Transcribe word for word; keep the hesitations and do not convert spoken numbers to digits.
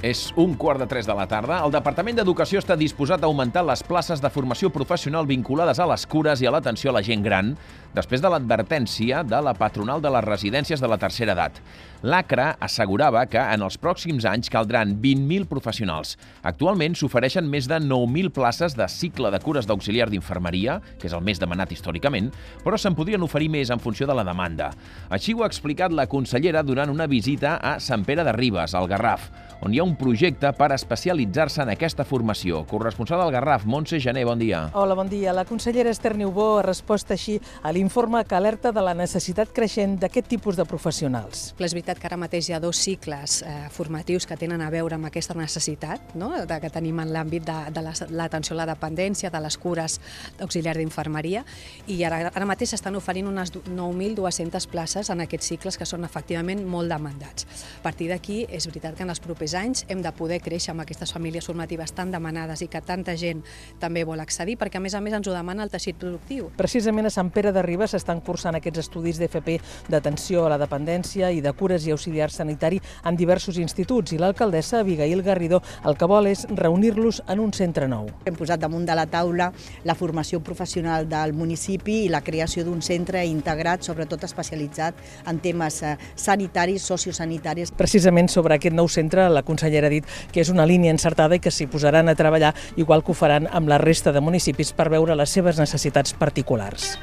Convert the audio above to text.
És un quart de tres de la tarda. El Departament d'Educació està disposat a augmentar les places de formació professional vinculades a les cures i a l'atenció a la gent gran, després de l'advertència de la patronal de les residències de la tercera edat. L'ACRA assegurava que en els pròxims anys caldran vint mil professionals. Actualment s'ofereixen més de nou mil places de cicle de cures d'auxiliar d'infermeria, que és el més demanat històricament, però se'n podrien oferir més en funció de la demanda. Així ho ha explicat la consellera durant una visita a Sant Pere de Ribes, al Garraf, on hi ha un projecte per especialitzar-se en aquesta formació. Corresponsal al Garraf, Montse Gené, bon dia. Hola, bon dia. La consellera Esther Niubó ha respost així a l'informe que alerta de la necessitat creixent d'aquest tipus de professionals. És veritat que ara mateix hi ha dos cicles eh, formatius que tenen a veure amb aquesta necessitat, no?, de, que tenim en l'àmbit de, de l'atenció a la dependència, de les cures d'auxiliar d'infermeria, i ara, ara mateix s'estan oferint unes nou mil dues-centes places en aquests cicles que són efectivament molt demandats. A partir d'aquí, és veritat que en els propers anys hem de poder créixer amb aquestes famílies formatives tan demanades i que tanta gent també vol accedir, perquè a més a més ens ho demana el teixit productiu. Precisament a Sant Pere de Ribes s'estan cursant aquests estudis d'F P d'atenció a la dependència i de cures i auxiliar sanitari en diversos instituts, i l'alcaldessa Abigail Garrido el que vol és reunir-los en un centre nou. Hem posat damunt de la taula la formació professional del municipi i la creació d'un centre integrat, sobretot especialitzat en temes sanitaris, sociosanitaris. Precisament sobre aquest nou centre, la consellera ha dit que és una línia encertada i que s'hi posaran a treballar, igual que ho faran amb la resta de municipis, per veure les seves necessitats particulars.